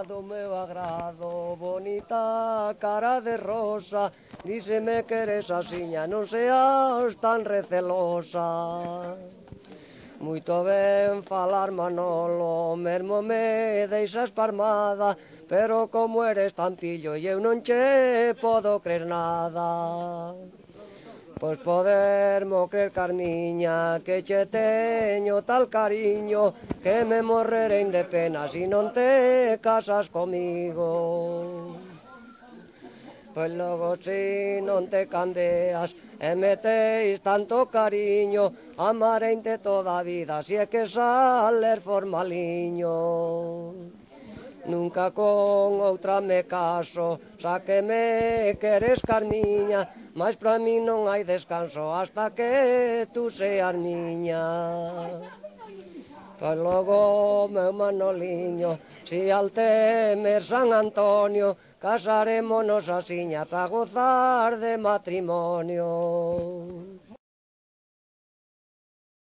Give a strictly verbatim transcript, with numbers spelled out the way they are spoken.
do meu agrado, bonita cara de rosa, díseme que eres asiña, non seas tan recelosa. Moito ben falar Manolo, mesmo me deixas parmada, pero como eres tan pillo e eu non che podo crer nada. Pois podermo crer, Carmiña, que che teño tal cariño, que me morrerei de pena si non te casas comigo. Pois logo si non te cambias e metéis tanto cariño, amareinte toda a vida, si é que sales formaliño. Nunca con outra me caso, xa que me queres, Carmiña, mas para mí non hai descanso hasta que tú seas miña. Pois logo, meu Manoliño, si al temer San Antonio, casarémonos asiña pa gozar de matrimonio.